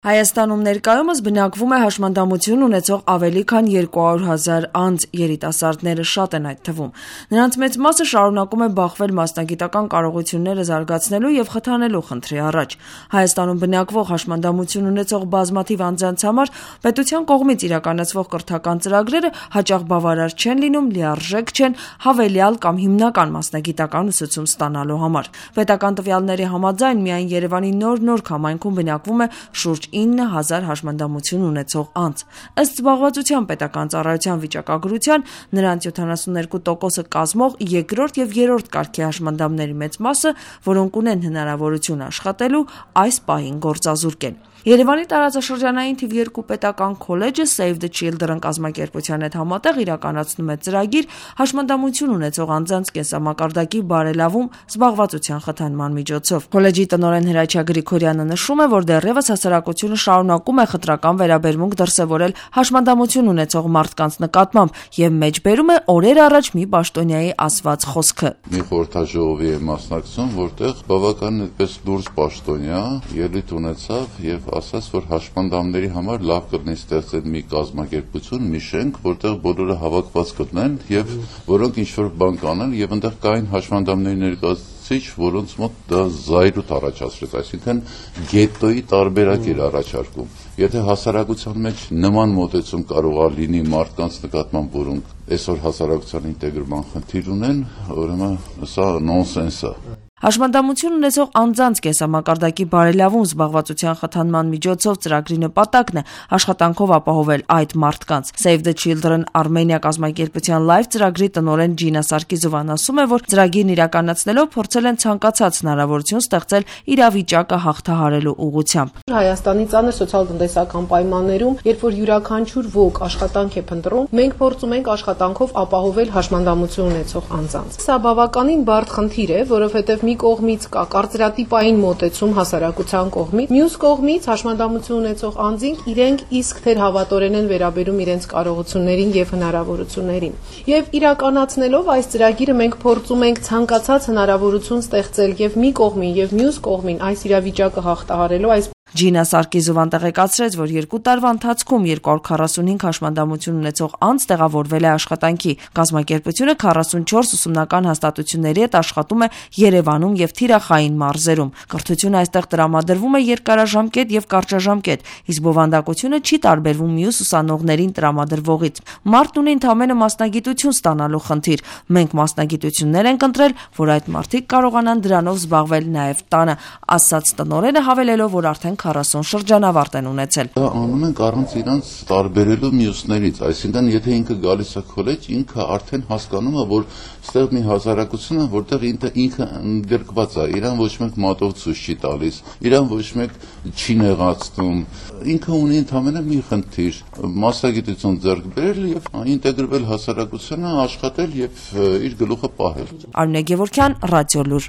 Հայաստանում ներկայումս բնակվում է հաշմանդամություն ունեցող ավելի քան 200,000 անձ, երիտասարդները շատ են այդ թվում։ Նրանց մեծ մասը շարունակում է բախվել մասնագիտական կարողությունները զարգացնելու եւ խթանելու խնդրի առաջ։ Հայաստանում բնակվող հաշմանդամություն ունեցող բազմաթիվ անձանց համար պետության կողմից իրականացվող կրթական ծրագրերը հաճախ բավարար չեն լինում, լիարժեք չեն հավելյալ կամ հիմնական մասնագիտական ուսուցում ստանալու համար։ Պետական տվյալների համաձայն միայն Երևանի նոր համայնքում բնակվում է շուրջ 9,000 հաշմանդամություն ունեցող անձ։ Ըստ զբաղվածության պետական ծառայության վիճակագրության, նրանց 72%-ը կազմող երկրորդ եւ երրորդ կարգի հաշմանդամների մեծ մասը, որոնք ունեն հնարավորություն աշխատելու, այս պահին գործազուրկ են։ Երևանի տարածաշրջանային թիվ 2 պետական քոլեջը Save the Children կազմակերպության հետ համատեղ իրականացնում է ծրագիր հաշմանդամություն ունեցող անձանց կենսամակարդակի բարելավում զբաղվածության խթանման միջոցով։ Քոլեջի տնօրեն Հրաչյա Գրիգորյանը նշում է, որ դեռևս հասարակությունը շարունակում է խտրական վերաբերմունք դրսևորել հաշմանդամություն ունեցող մարդկանց նկատմամբ եւ մեջբերում է օրեր առաջ մի պաշտոնյայի ասված խոսքը։ Մի խորհրդաժողովի է մասնակցում, որտեղ բավականին այդպես դուրս պաշտոնյա ելույթ ունեցավ եւ ասաց, որ հաշմանդամների համար լավ կլինի ստեղծել մի կազմակերպություն, մի շենք, որտեղ բոլորը հավաքված կլինեն եւ որոնք ինչ-որ բան կանեն եւ այնտեղ կային հաշմանդամների ներկայացուցիչ, որոնց մոտ դա զայրույթ առաջացրեց, այսինքն գետոյի տարբերակ էր առաջարկում։ Եթե հասարակության մեջ նման մոտեցում կարող է լինի մարդկանց նկատմամբ, որոնք այսօր հասարակության ինտեգրման խնդիր ունեն, ուրեմն սա նոնսենս է։ Հաշմանդամություն ունեցող անձանց կենսամակարդակի բարելավում զբաղվածության խթանման միջոցով ծրագրի նպատակն է աշխատանքով ապահովել այդ մարդկանց։ Save the Children Armenia կազմակերպության լայվ ծրագրի տնօրեն Ջինա Սարգիսովան ասում է, որ ծրագիրն իրականացնելով փորձել են ցանկացած հնարավորություն ստեղծել իրավիճակը հաղթահարելու ուղղությամբ։ Հայաստանի ծանր սոցիալ-տնտեսական պայմաններում, երբ որ յուրաքանչյուր ոք աշխատանք է փնտրում, մենք փորձում ենք աշխատանքով ապահովել հաշմանդամություն ունեցող անձանց։ Սա բավականին բարդ խնդիր է, որովհետև մի կողմից կա կարծրատիպային մոտեցում հասարակության կողմից, մյուս կողմից հաշմանդամություն ունեցող անձինք իրենք իսկ թերհավատորեն են վերաբերում իրենց կարողություններին եւ հնարավորություններին։ Եվ իրականացնելով այս ծրագիրը մենք փորձում ենք ցանկացած հնարավորություն ստեղծել եւ մի կողմին եւ մյուս կողմին այս իրավիճակը հաղթահարելու այս Ջինա Սարգիսովան տեղեկացրեց, որ 2 տարվա ընթացքում 245 հաշմանդամություն ունեցող անձ տեղավորվել է աշխատանքի։ Կազմակերպությունը 44 ուսումնական հաստատությունների հետ աշխատում է Երևանում եւ թիրախային մարզերում։ Կրթությունը այստեղ տրամադրվում է երկարաժամկետ եւ կարճաժամկետ, իսկ բովանդակությունը չի տարբերվում մյուս ուսանողներին տրամադրվողից։ Մարդն ունի ընդամենը մասնագիտություն ստանալու խնդիր։ Մենք մասնագիտություններ ենք ընտրել, որ այդ մարդիկ կարողանան դրանով զբաղվել նաեւ տանը, ասաց տնօրենը, հավելելով, որ արդեն 40 շրջանավարտ են ունեցել։ Դա անում ենք առանց իրանց տարբերելու մյուսներից, այսինքն եթե ինքը գալիս է քոլեջ, ինքը արդեն հասկանում է, որ ստեղ մի հասարակություն է, որտեղ ինքը ընդգրկված է, իրան ոչ մեկ մատով ցույց չի տալիս, իրան ոչ մեկ չի նեղացնում։ Ինքը ունի ընդամենը մի խնդիր՝ մասնագիտություն ձեռք բերել եւ ինտեգրվել հասարակությանը, աշխատել եւ իր գլուխը պահել։ Արմինե Գևորգյան, Ռադիոլուր։